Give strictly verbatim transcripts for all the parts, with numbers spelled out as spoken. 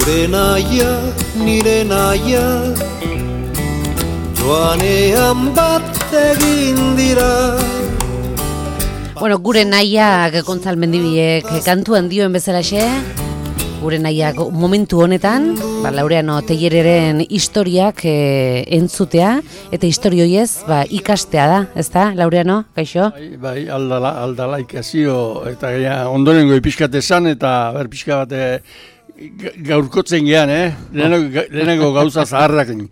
Zure naia, nire naia, joanean bat egin dira. Bueno, gure nahiak Gontzal Mendibiek kantuan dioen bezalaxe, gure nahiak momentu honetan, ba, Laureano Tellereren historiak e, entzutea, eta historioiez ba, ikastea da, ez da, Laureano, kaixo? Bai, bai, aldala, aldala ikasio, eta ja, ondonengo pixkat esan, eta ber pixka bat e, gaurkotzen gehan, eh? Lehenengo, lehenengo gauza zaharrakin.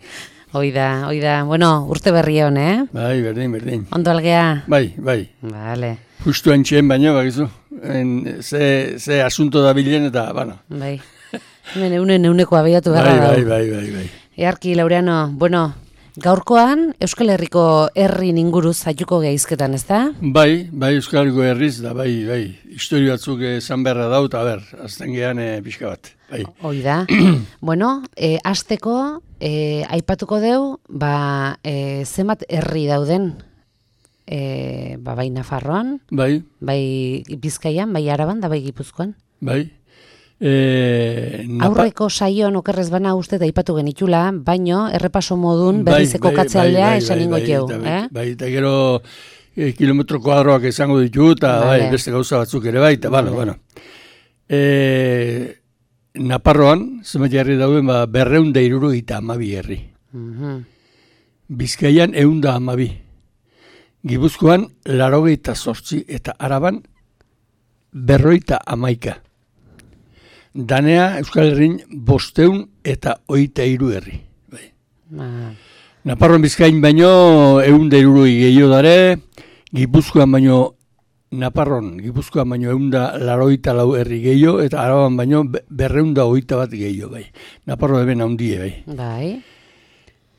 Oida, oida, bueno, urte berri hon, eh? Bai, berdin, berdin. Ondo algea? Bai, bai. Vale. Justu entxeen baino, bakizu. En, ze, ze asunto da bilen eta, bueno. Bai. Hemen eunen euneko abiatu bai, gara bai, bai, bai, bai. Earki, Laureano, bueno, gaurkoan Euskal Herriko herri inguruz zaituko geizketan, ez da? Bai, bai, Euskal Herriko herriz, da, bai, bai. Historio batzuk esan beharra daut, a ber, azten gehan e, pixka bat. Bai. Hoi da. Bueno, e, azteko, e, aipatuko deu, ba, e, zenbat herri dauden, e, ba, bai Nafarroan, bai, bai Bizkaian, bai Araban, da bai Gipuzkoan. Bai. E, napa... Aurreko saioan okerrez bana uste da aipatu genitula, baino errepaso modun berrizeko bai, katzealdea bai, bai, esan ingo bai, jau. bai, Eh? bai, eta gero e, kilometro kuadroak izango ditu, eta Vale. bai, beste gauza batzuk ere bai, eta Vale. bueno, bueno. E, Naparroan, zenbat jarri dauden, ba, berreunda iruro eta amabi herri. Mhm. Bizkaian eunda amabi. Gipuzkoan, larogeita zortzi, eta Araban, berroita amaika. Danea, Euskal Herrin, bosteun eta oita hiru herri. Bai. Ah. Naparroan Bizkain baino, eunda iruroi gehiago dare, Gipuzkoan baino, Naparron, Gipuzkoan baino eunda laroita lau herri gehiago, eta Araban baino berreunda oita bat gehiago, bai. Naparro eben handie, bai. Bai.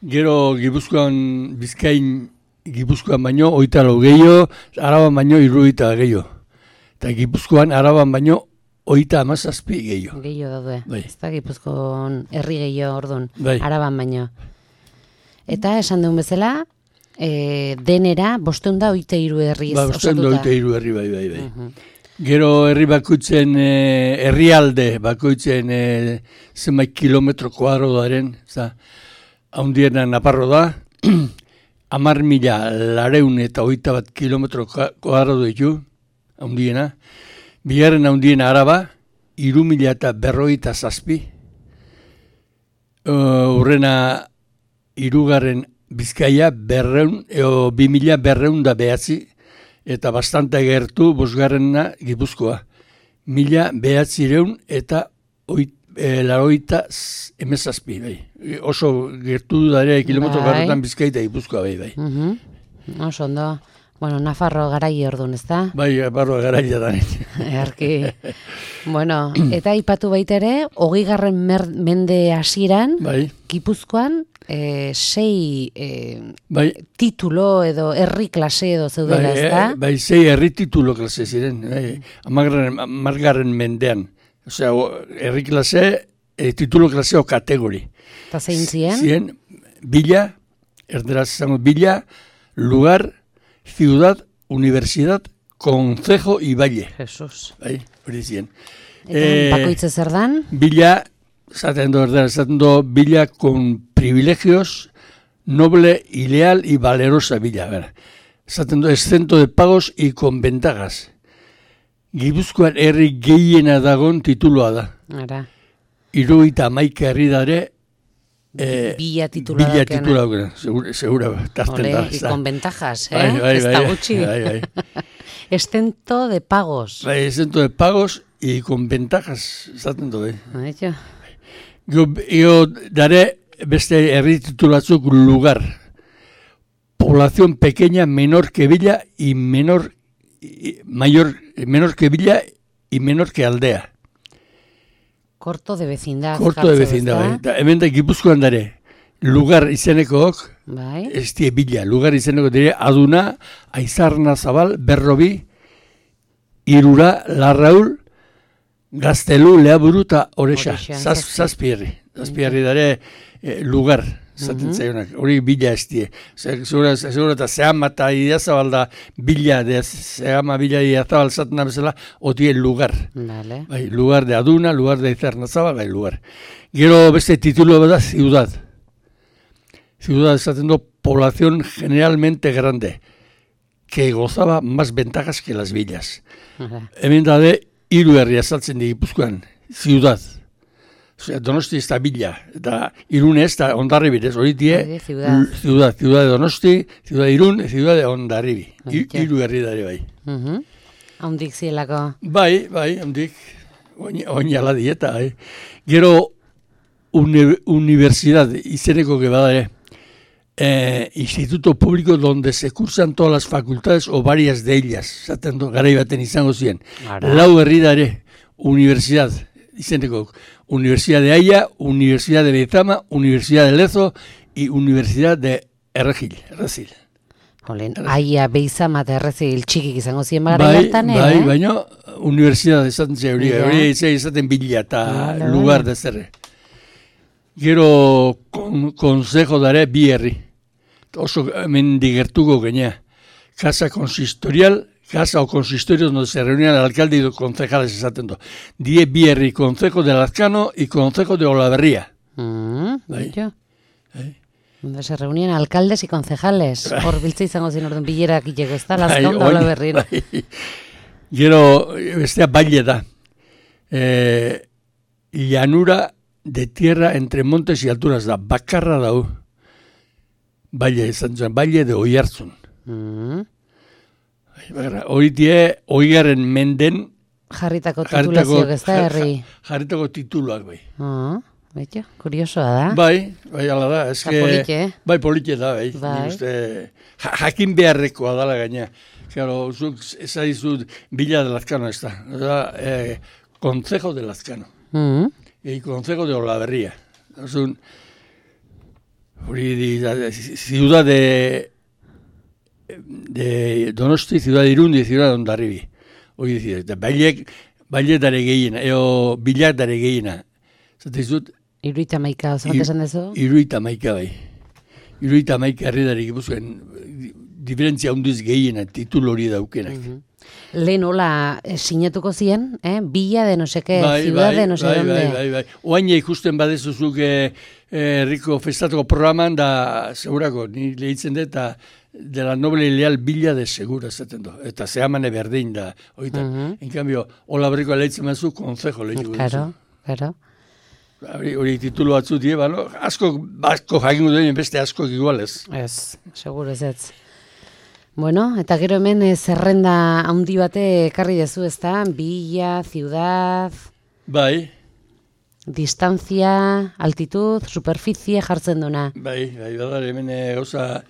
Gero Gipuzkoan, Bizkain, Gipuzkoan baino oita lau gehiago, Araban baino iruita gehiago. Eta Gipuzkoan, Araban baino oita amazazpi gehiago. Gehiago daude. Bai. Ez da Gipuzkoan herri gehiago ordun. Bai. Araban baino. Eta esan duen bezala, e, denera bosteun da oite hiru herriz Ba, bosteun da osatuta. oita hiru herri, bai, bai, bai. Mhm. Gero herri bakoitzen, eh, herrialde bakoitzen eh, zenbait kilometro kuadro daren, za, haundiena Naparro da, hamar mila lareun eta oita bat kilometro kuadro ditu, haundiena. Bigarren haundiena Araba, hiru mila eta berroita zazpi. Uh, urrena hirugarren Bizkaia berreun, eo bi mila berreun da behatzi, eta bastante gertu bosgarrena Gipuzkoa. Mila behatzireun eta oit, e, laroita emezazpi, bai. Oso gertu dare kilometro Bai. garrotan Bizkaia eta Gipuzkoa, bai, bai. Mhm. Oso ondo. Bueno, Nafarro garai ordun, ez da? Bai, barro garaia da. Erki. Bueno, eta aipatu baita ere, hogeigarren mer- mende hasieran, Bai, Gipuzkoan, e, sei e, bai. titulo edo herri klase edo zeudela, Bai, ez da? eh, bai, zei herri titulo klase ziren, bai, amargarren, amargarren mendean. Osea, o, herri klase, eh, titulo klaseo kategori. Eta zein ziren? Ziren, bila, erderaz izango, bila, lugar, ciudad, universidad, concejo y valle. Jesus. Bai, hori ziren. Eta Eh, bakoitze zer dan? Bila, zaten do, erderaz, zaten do, bila con privilegios, noble y leal y valerosa bila. Bera. Zaten do, exento de pagos y con ventajas. Gipuzkoan herri gehiena dagon tituloa da. Ara. Hirurogeita hamaika herri dare, eh, Bila titula bila daukena. titula daukena. Segura, segura tarten Ole, da. y ez da. con ventajas, eh? Bai, bai, ez da bai, gutxi. bai, bai. Exento de pagos. Bai, exento de pagos y con ventajas, zaten du, eh. Aitxo. Gio, gio dare beste herri titulatzuk lugar. Población pequeña, menor que villa y menor, y mayor, menor que villa y menor que aldea. Corto de vecindad. Corto de jartzen, vecindad, bai. ezta? Eta hemen da Gipuzkoan dare, lugar izenekook, Bai. ez die bila, lugar izeneko dire, Aduna, Aizarna Zabal, Berrobi, Irura, Larraul, Gaztelu, Leaburu eta Orexa. Orexa, Zaz, zazpi. zazpi herri. Zazpi herri dare eh, lugar. zaten zaionak, hori bila ez die. Segura eta zehama eta idazabal da bila, de zehama bila idazabal zaten da bezala, otie lugar. Vale. Bai, lugar de aduna, lugar de izernazabal, bai, lugar. Gero beste titulo da ciudad. Ciudad esaten do, población generalmente grande, que gozaba más ventajas que las villas. Aha. Hemen da de, hiru herria saltzen di Gipuzkoan, ciudad. Osea, Donosti ez da bila, eta Irune ez da Hondarribir, ez hori die, ciudad. ciudad, ciudad de Donosti, ciudad de Irun, ciudad de Hondarribi. Hiru herri dare bai. Mhm. Haundik zielako. Bai, bai, handik, oinala dieta, bai. Gero, uni, universidad, izeneko que bada ere, eh, instituto público donde se cursan todas las facultades o varias de ellas, zaten garai baten izango ziren. Ara. Lau herri dare, universidad, izeneko, Universidad de Haya, Universidad de Lezama, Universidad de Lezo y Universidad de Erregil, Errezil. Olen, aia beizama eta errezil txikik izango ziren bagara Bai, hartan, eh? bai, baina universidad esaten zen hori, Ja. hori izaten bila eta Vale, lugar vale. de zerre. Gero kon, konsejo dare bi herri. Oso hemen digertuko genea. Casa consistorial, casa o consistorio donde se reunían el alcalde y los concejales esaten do. Die bi herri, Concejo de Lazcano y Concejo de Olaverría. Mm, Bai. jo. Bai. Donde se reunían alcaldes y concejales. Hor biltza izango ziren orden bilerak itxeko, ez da? Bai, Lazkaon da oin- hola berrin. bai. Gero, bestea baile da. Eh, llanura de tierra entre montes y alturas da. Bakarra dau. Baile, izan zuen, baile de Oiartzun. Mm. Hori die, oigarren menden Jarritako jarritako, titulazioak, ez da, herri? jarritako tituluak bai. Ah, betxo, kuriosoa da. Bai, bai, ala da. Eta polite, eh? Bai, polite da, bai. Bai. Nik uste, ja, jakin beharrekoa dala gaina. Claro, zuk ezaizut Villa de Lazcano ez da. Da, eh, Concejo de Lazcano. Mm. Y Concejo de Olaverría. Es un hori di, da, ciudad de de Donosti, ciudad de Irundi, ciudad de Hondarribi. Hori dizi, eta bailek, bailek dare gehiena, eo bilak dare gehiena. Zate izut, Iruita maika, oso bat esan dezu? iruita maika bai. Iruita maika herri dare gipuzkoen, diferentzia hundiz gehiena, titulu hori daukenak. Mhm. Lehen hola eh, sinatuko ziren, eh? Bila de no seke, ciudad de no se bai, donde. bai, bai, bai. Oain ikusten badezuzuk eh, herriko festatuko programan da, segurako, ni lehitzen dut, eta de la noble y leal Villa de Segura, zaten do. Eta zehamane berdin da, oitan. Mhm. En cambio, hola berriko lehitzen bazu, konzejo lehituko Claro, claro. Hori, hori titulu batzu die, balo, asko, asko jakingo duen beste asko igualez. Ez, seguro ez ez. Bueno, eta gero hemen eh, zerrenda handi bate ekarri dezu, ez da? Villa, ciudad, Bai, distancia, altitud, superficie jartzen duna. bai, bai, badar, hemen eh, gauza,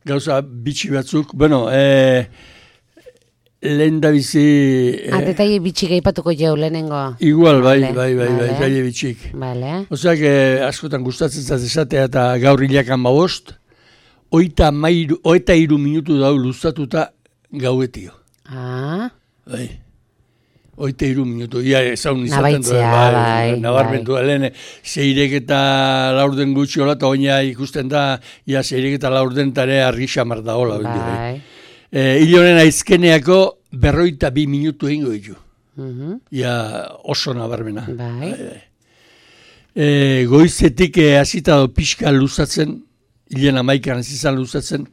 gauza bitxi batzuk, bueno, eh, lehen da bizi... Eh, Ah, detaile bitxik aipatuko jau lehenengo. igual, bai, Vale, bai, bai, bai, vale. zaila bitxik. Vale. Oseak, eh, askotan gustatzen zaz esatea eta gaur hilakan babost, oita, mairu, oita iru minutu dau luzatuta gauetio. Ah, Bai. Oita iru minutu, ia ezaun izaten Nabaitzea, bai, nabarmentu da, lehen, zeirek eta laurden gutxi hola, eta oina ikusten da, ia zeirek eta laurden tare argi xamar da hola. bai. E, hil honen aizkeneako berroita bi minutu egingo ditu. Mhm. Ia oso nabarmena. Bai. E, goizetik e, hasita do pixka luzatzen, hilen amaikan izan luzatzen,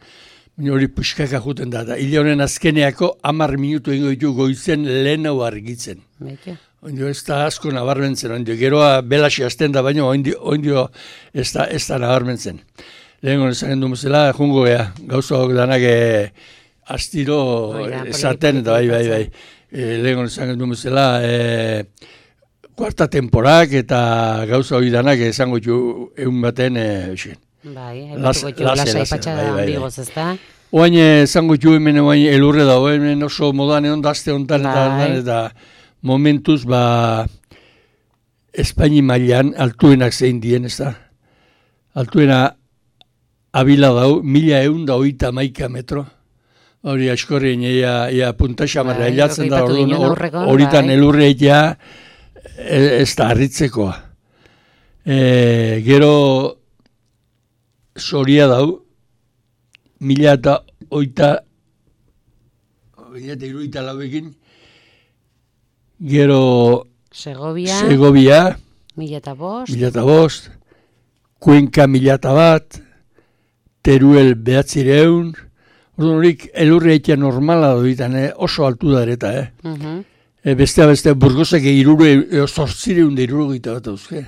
baina hori puxkaka juten da. Hile honen azkeneako hamar minutu egingo ditu goizen lehenau argitzen. Betxo. Oindio ez da asko nabarmentzen, oindio geroa belaxi hasten da, baina oindio, oindio ez da, ez da nabarmentzen. Lehen gona esan du mozela, jungo gea, gauza hok danak e, astiro Oida, esaten, poliki, eta bai, bai, bai. E, lehen gona esan du mozela, e, kuarta temporak eta gauza hori danak esango ju egun baten, e, xen. Bai, Las- aipatuko jo, lase, lasai lase, patxada bai, bai, bai. handigoz, ez da? Oain esango ju hemen oain elurre dago, hemen oso modan egon dazte honetan eta, Bai. eta momentuz ba Espaini mailan altuenak zein dien, ez da? Altuena abila dau, mila egun da oita maika metro. Hori askorrien ia, ia punta xamarra Bai, hilatzen da, aipatu orduan, ginen hor- aurrekoan, horitan bai. elurre ja e, ez da harritzekoa. E, gero Soria dau, mila eta oita, mila eta iruita lauekin, gero Segovia, Segovia, mila eta bost, mila eta bost, Kuenka mila eta bat, Teruel behatzireun, orduan horik elurri eitea normala doitan, eh? Oso altu da ereta, eh? uh-huh. E, bestea beste burgosek irure, e, zortzireun da iruro gita bat dauzke.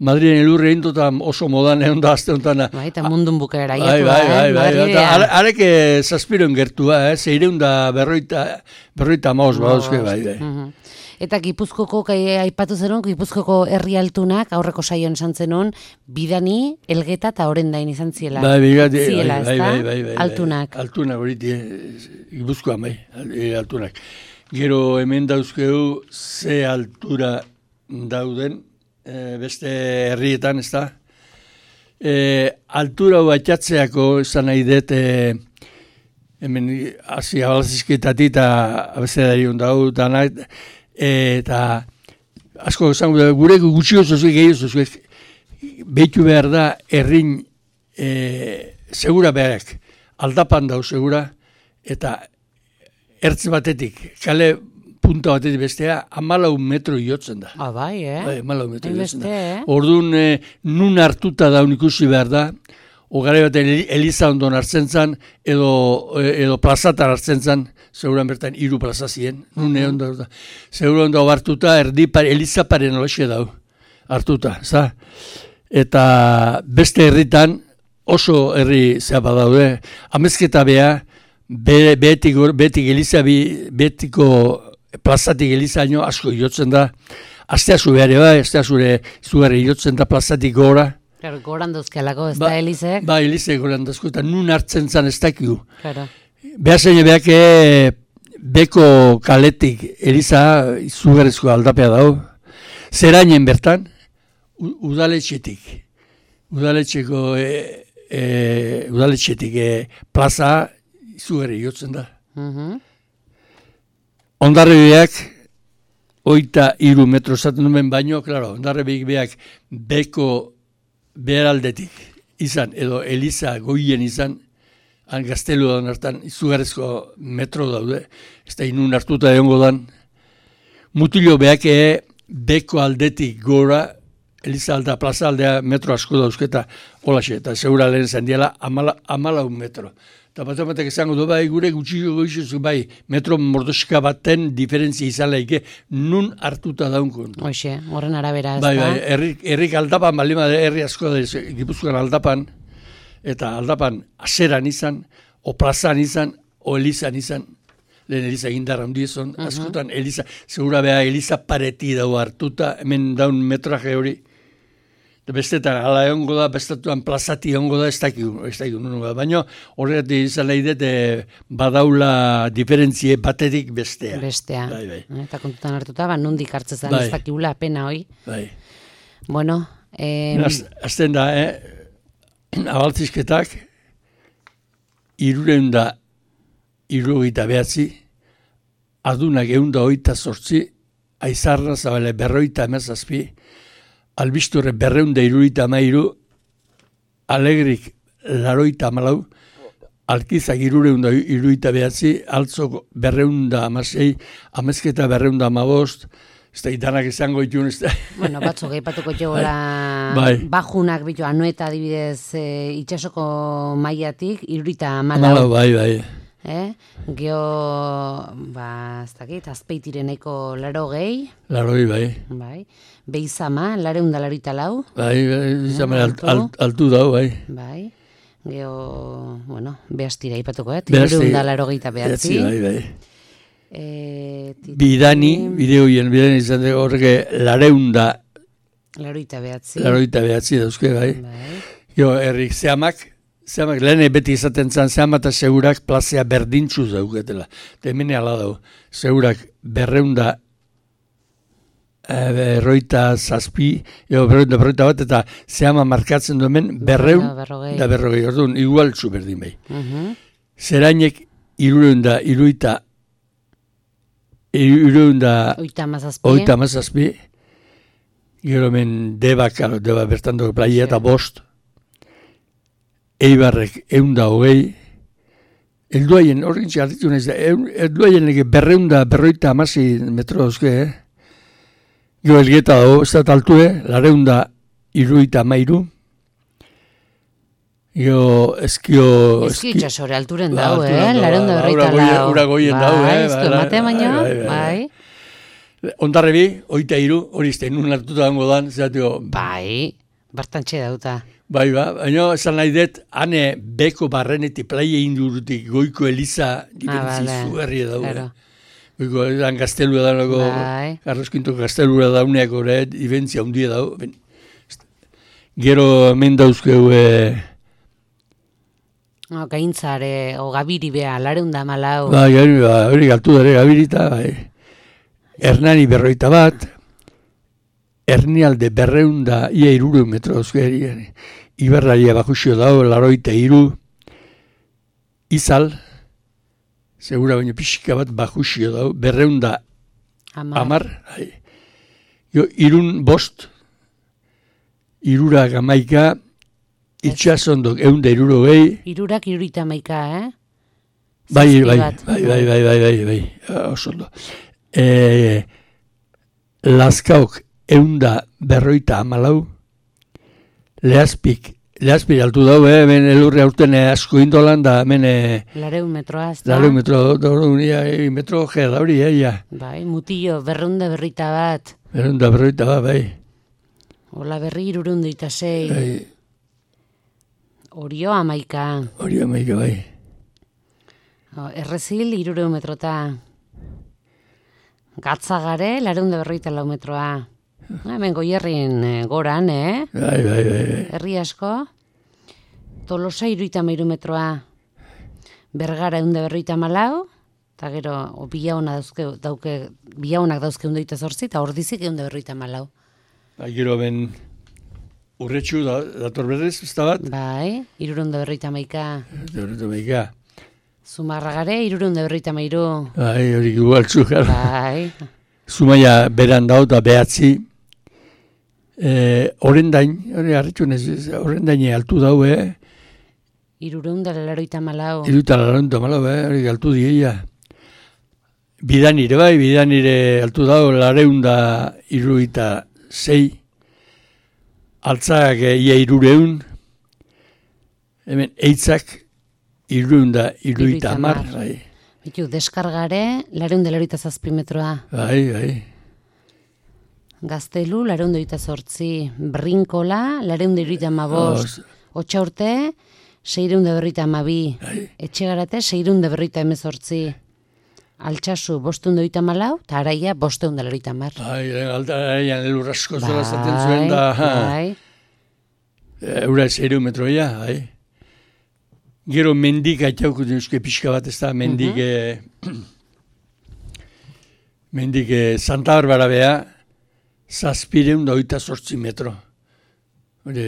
Madrien elurre indotan oso modan egon da azte honetan. Bai, eta mundun bukaera Bai, jatua, bai, bai, eh? bai, Madrilea. bai. Arek zazpiron gertua, eh? Zeireun da berroita, berroita maoz badauzke, bai, bai. Mhm. Eta Gipuzkoko, kai, aipatu zenun, Gipuzkoko herri altunak, aurreko saioan esan zenun, Bidani, Elgeta eta Orendain izan ziela. Bai, bigati, Ziela, bai, ezta? bai, bai, bai, bai. Altunak. Altunak horiti, Gipuzkoan bai, e, altunak. Gero hemen dauzkeu ze altura dauden, e, beste herrietan, ez da? E, altura batxatzeako, esan nahi dut, e, hemen hasi abalazizketatik eta abezedari ondau, danak, eta asko esan gure gutxi oso zuek gehi oso zuek behitu behar da errin e, segura beharek aldapan dau segura eta ertz batetik kale punta batetik bestea amalau metro iotzen da. Ah, bai, eh? Bai, amalau metro iotzen da. eh? Orduan e, nun hartuta daun ikusi behar da, ogare baten Eliza ondon hartzen zan, edo, edo plazatar hartzen zan, seguran bertan hiru plaza ziren, nun egon da. Seguran da hartuta, erdi pare, Eliza paren olaxe dau, hartuta, za? Eta beste herritan, oso herri zeapa daude, amezketa beha, be, betik, betik Eliza, betiko plazatik Elizaino asko jotzen da, astea zu behar eba, astea zure zugarri jotzen da plazatik gora. Claro, goran dozkialako, ez Ba, da Elizek? Ba, Elizek goran dozko, eta nun hartzen zan ez dakigu. Claro. Behazen beak beko kaletik Eliza izugarrizko aldapea dau. Zerainen bertan, u, udaletxetik. Udaletxeko, e, e, udaletxetik e, plaza izugarri jotzen da. Uh-huh. Ondarrebiak, oita iru metro zaten duen baino, klaro, ondarrebiak beak beko beheraldetik izan, edo Eliza goien izan, han gaztelu daun hartan, izugarrezko metro daude, ez da inun hartuta egongo dan, mutilo beake beko aldetik gora, Eliza alda, plaza aldea metro asko dauzketa, holaxe, eta segura lehen zen diela, amala, amala un metro. Eta bat ematek izango du, bai, gure gutxiko goizuz, bai, metro mordoska baten diferentzia izan laike, nun hartuta daun kontu. Hoxe, horren arabera ez Bai, da. bai, herrik, herrik aldapan, balima herri asko da, Gipuzkoan aldapan, eta aldapan azeran izan, o plazan izan, o Elizan izan, lehen Eliza gindarra hundiezon, uh-huh. Askotan Eliza, segura beha Eliza pareti dau hartuta, hemen daun metraje hori, bestetan, ala egongo da, bestatuan plazati egongo da, ez dakigu, ez dakigu, baina horregatik izan nahi dut, badaula diferentzie batetik bestea. Bestea. Bai, bai. Eta kontutan hartuta, ba, nondik hartzezan, Bai. ez dakigula pena hoi. Bai. Bueno, eh, Azten da, eh, abaltzizketak, irureun da, irugita behatzi, adunak egun da oita sortzi, aizarra zabale berroita emezazpi, albisturre berreunda irurita mairu, alegrik laroita malau, alkizak irureunda irurita behatzi, altzok berreunda amasei, amezketa berreunda amabost, ez da itanak izango itun, ez da. bueno, batzuk eipatuko jogola Bai. bajunak bitu, anueta adibidez e, itxasoko mailatik, irurita Malau, malau. bai, bai. Eh? Geo, ba, ez dakit, azpeitireneko laro gehi, Laroi, bai. bai. Beizama, lareunda larita lau, Bai, bai, izan Eh, alt, alt, altu dau, bai. bai. Geo, bueno, behastira ipatuko, eh? Behasti- Lareunda laro gehieta behatzi. Bai, bai. E, tit- Bidani, bideoien, bidani izan dugu horreke lareunda, Laroita behatzi. laroita behatzi dauzke, bai. Bai. Jo, herrik, zehamak, zehamak, lehen beti izaten zan, zehamak eta segurak plazea berdintxuz dauketela. Eta hemen ala dau, segurak berreunda, berroita zazpi, jo, berroita, berroita bat, eta zehama markatzen du hemen berreun Da berrogei. da berrogei, orduan, igual zu berdin bai. Mhm. Zerainek irureun da, iruita, irureun da, Oita mazazpi. oita mazazpi, gero hemen deba, karo, deba bertan dugu playa eta bost, Eibarrek eunda hogei, elduaien, horrekin txarritu nahiz da, elduaien ege berreunda berroita amasi metro dauzke, eh? Gio elgeta dago, ez da taltue, lareunda iruita mairu. Gio eskio... Eski itxasore alturen dago, eh? Lareunda berroita lau. Ura goien dago, eh? Ez du emate baino, bai. Ondarrebi, oita iru, hori izte, nun hartuta dango dan, zatio... Bai, bartantxe dauta. Bai, ba, baina esan nahi dut, hane beko barrenetik plaia indurutik goiko eliza dibentzi Ah, zuherria dago. claro. Goiko edan gaztelua dago, Bai. Carrosquinto gaztelua dauneak ore, dibentzi handia dago. Ben, gero hemen dauzkeu, eh, No, gaintzare, o gabiri bea, lareunda malau. bai, hori ba, hori galtu dara gabirita, bai. Hernani berroita bat, Hernialde berreunda ia iruru metro dauzkeri, Iberraria bakusio dago, laroita iru, Izal, segura baino pixka bat bakusio dago, berreunda Amar. amar, bai. Jo, irun bost, irura gamaika, itxasondok eunda iruro gehi, Irurak irurita maika, eh? bai, Zazpi bai, bat. bai, bai, bai, bai, bai, bai, oso ondo. E, Lazkaok eunda berroita amalau, Lehazpik, Lehazpik altu dau, eh, hemen elurre aurten asko indolan da, hemen eh, Lareun metroa, ez da? Lareun metro, dauria, metro gea dauri, eh, ja. Bai, mutillo, berrunda berrita bat. Berunda berroita ba, bai. Ola berri irurundu eta sei. Bai, Orio amaika. hori amaika, bai. O, Errezil irureun metrota. Gatzagare, lareunda berroita lau metroa. Hemen goierrin eh, goran, eh? Bai, bai, bai, bai. Herri asko. Tolosa iruita mairu metroa. Bergara eunda berroita malau. Eta gero, o, bilauna dauzke, dauke, bilaunak dauzke eunda zortzi, eta ordizik eunda berroita malau. Bai, gero ben urretxu da, dator berrez, ez da bat? Bai, irureunda berroita maika. Horretu maika. Zumarragare, irureunda berroita mairu. Bai, hori gubaltzu, gara. Bai, Zumaia beran dau da behatzi. Eh, orendain, hori harritxu nez, orendaine altu dau, eh? irureunda laroita malau. Iruta laronta malo, eh? Hori altu dieia. Bidanire bai, bidanire altu dau, lareunda iruita zei. Altzak eh, ia irureun. Hemen eitzak irureunda iruita Hirurogeita mar. hamar. Bai, Bitu, deskargare, lareunda laroita zazpi metroa. bai, bai. Gaztelu, lareunda oita zortzi. Brinkola, lareunda iruita amabost. Otxaurte, seireunda berrita amabi. Etxegarate, seireunda berrita emezortzi. Altsasu, bosteunda oita malau, eta araia, bosteunda laroita mar. Bai, altaraian elurrasko zola zaten zuen da. ha. bai. Eura zero metroia, bai. Gero mendik aitauko euske pixka bat ez da, mendik, eh, mendik eh, Santa Barbara bea, zazpireun da oita zortzi metro. Hore,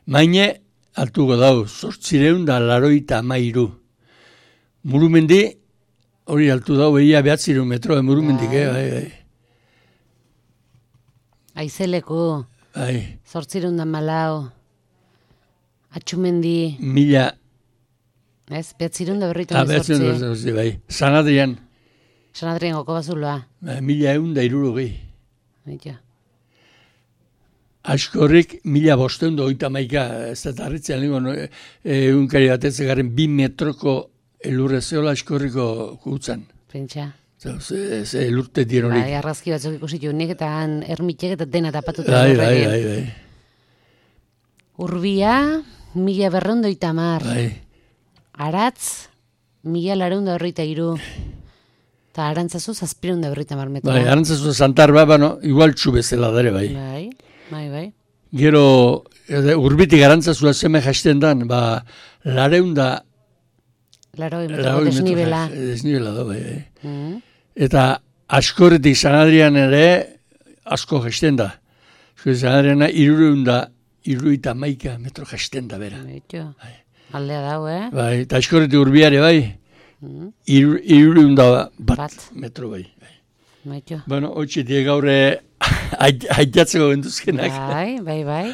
maine altuko dau, zortzireun da laroita amairu. Murumendi, hori altu dau, behia behatzireun metro, eh, murumendik, eh, bai, bai. Aizeleku, Bai, zortzirunda malau. Atxumendi, mila, ez? Behatzirunda berrita ah, behatzen emezortzi. dut, bai. San Adrian, San Adrien goko bazuloa. eh, mila eun da irurogei. Baita. Askorrik mila bosteun da oita maika, ez da tarritzen lingo, no, e, egunkari batetzen garen bi metroko elurre zeola askorriko kutzan. Pentsa. Ze, ze elurte dienorik. Bai, arrazki batzuk ikusitu nik eta han ermitek eta dena tapatuta. Bai, bai, horrekin. bai, bai. Urbia, mila berreunda oita mar. Bai, Aratz, mila lareunda horreita iru. Eta arantzazu zazpireunda berreita mar metroa. bai, arantzazu Santar ba, bano, igual txu bezala dare, bai. Bai, bai, bai. Gero, ede, urbitik arantzazua zeme jasten dan, ba, lareunda, Laroi metroko laroi metro desnibela. ja- desnibela da, bai, bai. Mm. Eta askorretik San Adrian ere asko jasten da. Zue San Adriana irureunda, iruita maika metro jasten da bera. Beitu. Aldea dau, eh? Bai, eta askorretik urbiare bai, Mm. iru, irureunda bat, Bat. metro bai. bai. Beitu. Bueno, hotxe die gaurre haitatzeko benduzkenak. Bai, bai, bai.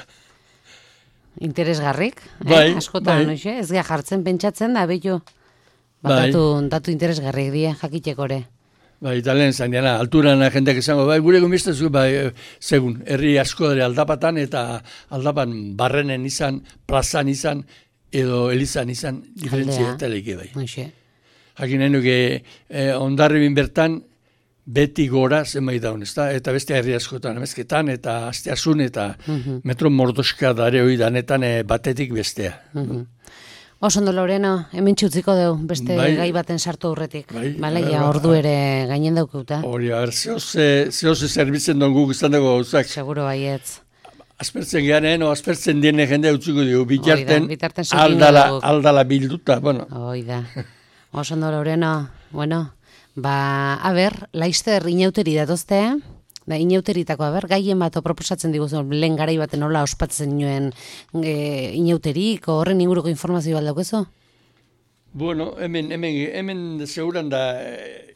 interesgarrik, Bai, eh? askotan, bai. noixe? Ez gea jartzen pentsatzen da, bello, ba, Bai. datu, datu interesgarrik die, jakitekore. Bai, eta lehen zain diana, alturan jendeak izango, bai, gure gomiztezu, bai, eh, segun, herri asko dara aldapatan, eta aldapan barrenen izan, plazan izan, edo elizan izan, diferentzia eta leke bai. Noixe. Jakin nahi nuke, eh, ondarribin bertan, beti gora zenbait daun, ezta? Eta beste herri askotan, emezketan, eta asteasun, eta Mhm. metro mordoska dare hori danetan eh, batetik bestea. Mhm. Oso ondo, Loreno, hemen txutziko dugu, beste Bai. gai baten sartu aurretik. Bai, Bale, bai, ja, bai. ordu ere gainen daukeuta. Hori, a ber, zehoze, zehoze zerbitzen don guk izan dago gauzak. Seguro baietz. Aspertzen gehanen, o aspertzen diene jende utzuko dugu, bitarten, bitarten sekin aldala, dugu. aldala bilduta, bueno. Hoi da. Oso ondo, Loreno. Bueno, ba, a ber, laister inauteri datozte, da, inauteritako, a ber, gaien bat proposatzen diguzu, lehen garai baten nola ospatzen nuen e, inauterik, horren inguruko informazio bat daukezu? Bueno, hemen, hemen, hemen seguran da eh,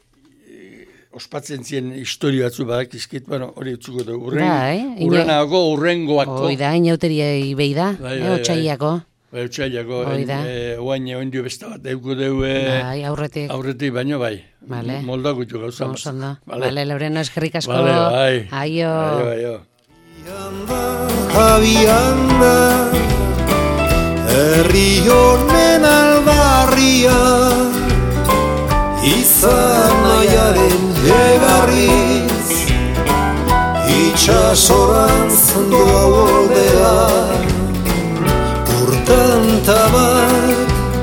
ospatzen zien historio batzu badak izkit, bueno, hori utzuko dugu. Urren, Bai, ina- urrenago, urrengoako. Hoi da, inauteriei behi da, Bai, eh, bai, bai. otsailako. Bai, utxailako, Hoi da. eh, oain egon dio besta bat, euko dugu eh, Bai, aurretik. aurretik baino bai. Vale. Moldak gutxu gauza. Oso ondo. Vale. Bale, Loreno, eskerrik asko. Vale, bai. Aio. Aio, aio. Javianda, herri honen alba